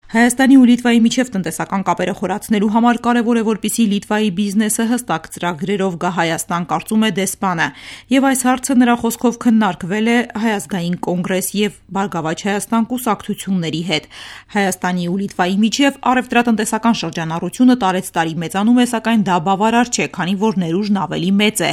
Հայաստանի ու Լիտվայի միջև տնտեսական կապերը խորացնելու համար կարևոր է, որպեսզի Լիտվայի բիզնեսը հստակ ծրագրերով գա Հայաստան, կարծում է դեսպանը, եւ այս հարցը նրա խոսքով քննարկվել է Հայազգային կոնգրես եւ Բարգավաճ Հայաստան կուսակցությունների հետ։ Հայաստանի ու Լիտվայի միջև առևտրատնտեսական շրջանառությունը տարեցտարի մեծանում է, սակայն դա բավարար չէ, քանի որ ներուժն ավելի մեծ է։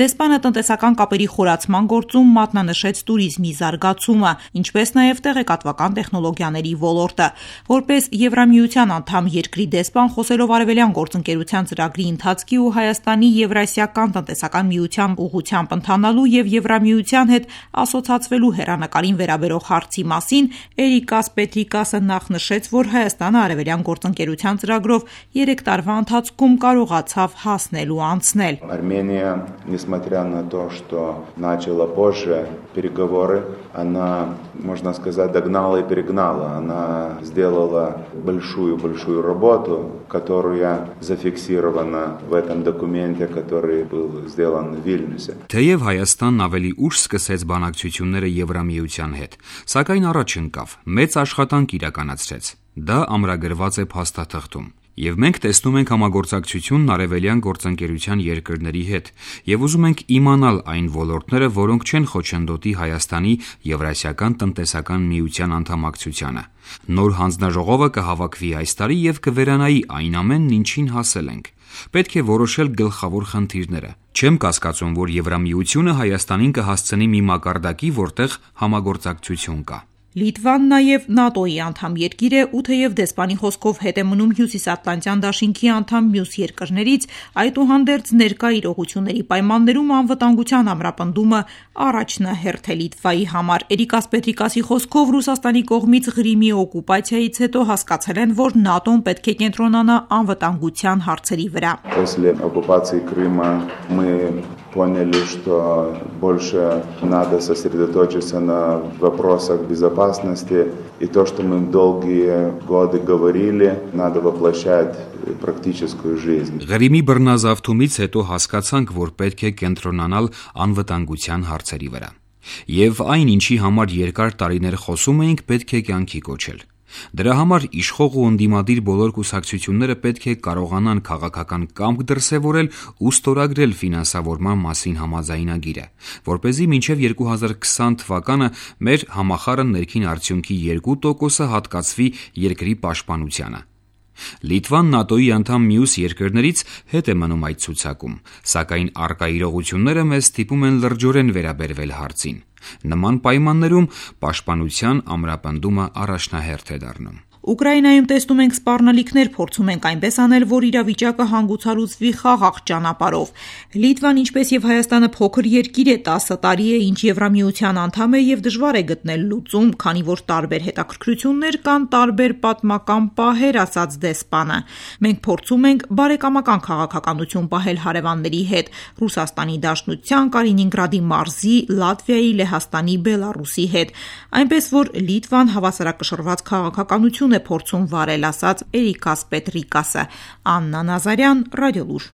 Դեսպանը տնտեսական կապերի խորացման գործում մատնանշեց տուրիզմի զարգացումը, ինչպես նաեւ տեղեկատվական տեխնոլոգիաների ոլորտը։ Որպես Եվրամիության անդամ երկրի դեսպան, խոսելով Արևելյան գործընկերության ծրագրի ընթացքի ու Հայաստանի Եվրասիական տնտեսական միության ուղղությամբ ընթանալու եւ Եվրամիության հետ ասոցացվելու հեռանկարին վերաբերող հարցի մասին, Էրիկաս Պետրիկասը նախ նշեց, որ Հայաստանը Արևելյան գործընկերության ծրագրով 3 տարվա ընթացքում կարողացավ հասնել ու անցնել։ Армения, несмотря на то, что начала позже переговоры, она, можно сказать, догнала и перегнала. Она сделала большую работу, которая зафиксирована в этом документе, который был сделан в Վիլնյուսը։ Թեև Հայաստանն ավելի ուշ սկսեց բանակցությունները Եվրամիության հետ, սակայն առաջ ընկավ, մեծ աշխատանք իրականացրեց։ Դա ամրագրված է փաստաթղթում։ Եվ մենք տեսնում ենք համագործակցությունն Արևելյան գործընկերության երկրների հետ եւ ուզում ենք իմանալ այն ոլորտները, որոնք չեն խոչընդոտի Հայաստանի Եվրասիական տնտեսական միության անդամակցությանը։ Նոր հանձնաժողովը կհավաքվի այս տարի եւ կվերանայի այն ամենն, ինչին հասել ենք։ Պետք է որոշել գլխավոր խնդիրները։ Չեմ կասկածում, որ Եվրամիությունը Հայաստանին կհասցնի մի մակարդակի, որտեղ համագործակցություն կա։ Լիտվան նաև ՆԱՏՕ-ի անդամ երկիր է ու թեև դեսպանի խոսքով հետ է մնում Հյուսիսատլանտյան դաշինքի անդամ մյուս երկրներից, այդուհանդերձ ներկա իրողությունների պայմաններում անվտանգության ամրապնդումը առաջնահերթ է Լիտվայի համար։ Էրիկաս Պետրիկասի խոսքով Ռուսաստանի կողմից Ղրիմի օկուպացիայից հետո հասկացել են, որ ՆԱՏՕ-ն պետք է կենտրոնանա անվտանգության հարցերի վրա։ После оккупации Крыма мы поняли, что больше надо сосредоточиться на вопросах безопасности, и то, что мы долгие годы говорили, надо воплощать в практическую жизнь. Ղրիմի բռնազավթումից հետո հասկացանք, որ պետք է կենտրոնանալ անվտանգության հարցերի վրա։ Եվ այն, ինչի համար երկար տարիներ խոսում էինք, պետք է կյանքի կոչել։ Դրա համար իշխող ու ընդդիմադիր բոլոր կուսակցությունները պետք է կարողանան քաղաքական կամք դրսևորել ու ստորագրել ֆինանսավորման մասին համաձայնագիրը, որպեսզի մինչև 2020 թվականը մեր համախառն ներքին արդյունքի 2%-ը հատկացվի երկրի պաշտպանությանը։ Լիտվան ՆԱՏՕ-ի անդամ մյուս երկրներից հետ է մնում այդ ցուցակում, սակայն առկա իրողությունները մեզ ստիպում են լրջորեն վերաբերվել հարցին։ Նման պայմաններում պաշտպանության ամրապնդումը առաջնահերթ է դառնում։ Ուկրաինայում տեսնում ենք սպառնալիքներ, փորձում ենք այնպես անել, որ իրավիճակը հանգուցալուծվի խաղաղ ճանապարհով։ Լիտվան, ինչպես եւ Հայաստանը, փոքր երկիր է, 10 տարի է, ինչ Եվրամիության անդամ է եւ դժվար է գտնել լուծում, քանի որ տարբեր հետաքրքրություններ կան, տարբեր պատմական պահեր, ասաց դեսպանը։ Մենք փորձում ենք բարեկամական քաղաքականություն պահել հարևանների հետ՝ Ռուսաստանի Դաշնության, Կալինինգրադի մարզի, Լատվիայի, Լեհաստանի, Բելարուսի հետ, այնպես որ Լիտվան հավասարակշռված քաղաքականություն է փորձում վարել, ասաց Էրիկաս Պետրիկասը։ Աննա Նազարյան, Ռադիոլուր։